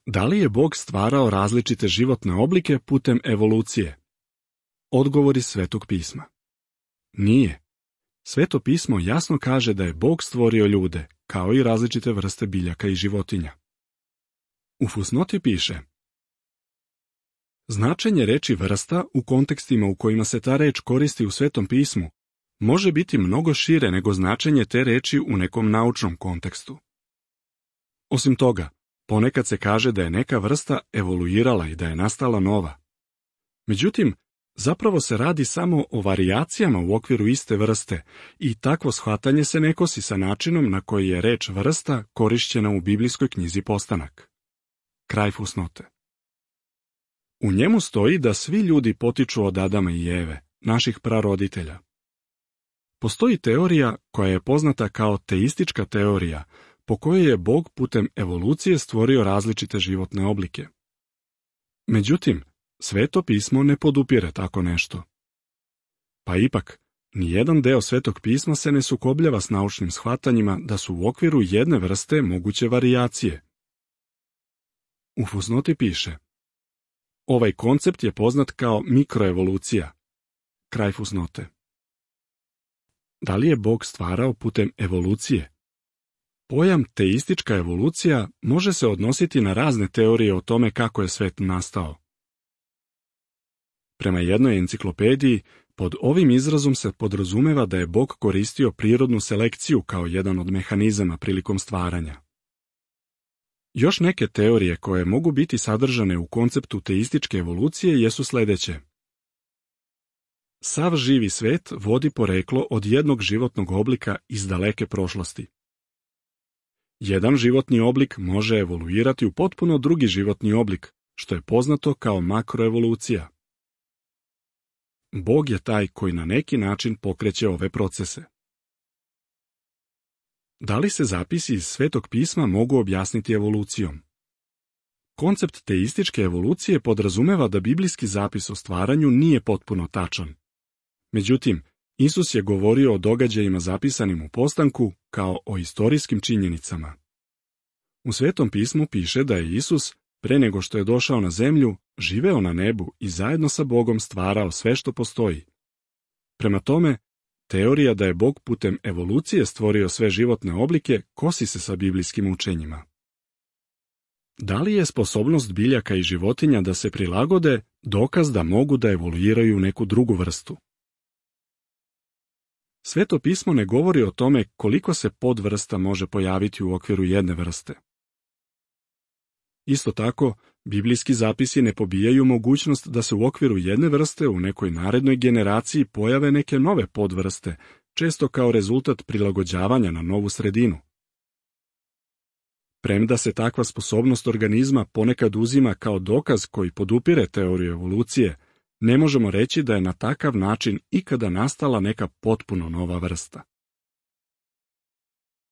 Da li je Bog stvarao različite životne oblike putem evolucije? Odgovor iz Svetog pisma. Nije. Sveto pismo jasno kaže da je Bog stvorio ljude, kao i različite vrste biljaka i životinja. U fusnoti piše: značenje reči vrsta u kontekstima u kojima se ta reč koristi u Svetom pismu može biti mnogo šire nego značenje te reči u nekom naučnom kontekstu. Osim toga, ponekad se kaže da je neka vrsta evoluirala i da je nastala nova. Međutim, zapravo se radi samo o varijacijama u okviru iste vrste i takvo shvatanje se ne kosi sa načinom na koji je reč vrsta korišćena u biblijskoj knjizi Postanak. Kraj fusnote. U njemu stoji da svi ljudi potiču od Adama i Eve, naših praroditelja. Postoji teorija koja je poznata kao teistička teorija, po kojoj je Bog putem evolucije stvorio različite životne oblike. Međutim, Sveto pismo ne podupire tako nešto. Pa ipak, nijedan deo Svetog pisma se ne sukobljava s naučnim shvatanjima da su u okviru jedne vrste moguće varijacije. U fusnoti piše: ovaj koncept je poznat kao mikroevolucija. Kraj fusnote. Da li je Bog stvarao putem evolucije? Pojam teistička evolucija može se odnositi na razne teorije o tome kako je svet nastao. Prema jednoj enciklopediji, pod ovim izrazom se podrazumeva da je Bog koristio prirodnu selekciju kao jedan od mehanizama prilikom stvaranja. Još neke teorije koje mogu biti sadržane u konceptu teističke evolucije jesu sledeće. Sav živi svet vodi poreklo od jednog životnog oblika iz daleke prošlosti. Jedan životni oblik može evoluirati u potpuno drugi životni oblik, što je poznato kao makroevolucija. Bog je taj koji na neki način pokreće ove procese. Da li se zapisi iz Svetog pisma mogu objasniti evolucijom? Koncept teističke evolucije podrazumeva da biblijski zapis o stvaranju nije potpuno tačan. Međutim, Isus je govorio o događajima zapisanim u Postanku kao o istorijskim činjenicama. U Svetom pismu piše da je Isus, pre nego što je došao na zemlju, živeo na nebu i zajedno sa Bogom stvarao sve što postoji. Prema tome, teorija da je Bog putem evolucije stvorio sve životne oblike kosi se sa biblijskim učenjima. Da li je sposobnost biljaka i životinja da se prilagode dokaz da mogu da evoluiraju neku drugu vrstu? Sveto pismo ne govori o tome koliko se podvrsta može pojaviti u okviru jedne vrste. Isto tako, biblijski zapisi ne pobijaju mogućnost da se u okviru jedne vrste u nekoj narednoj generaciji pojave neke nove podvrste, često kao rezultat prilagođavanja na novu sredinu. Premda se takva sposobnost organizma ponekad uzima kao dokaz koji podupire teoriju evolucije, ne možemo reći da je na takav način ikada nastala neka potpuno nova vrsta.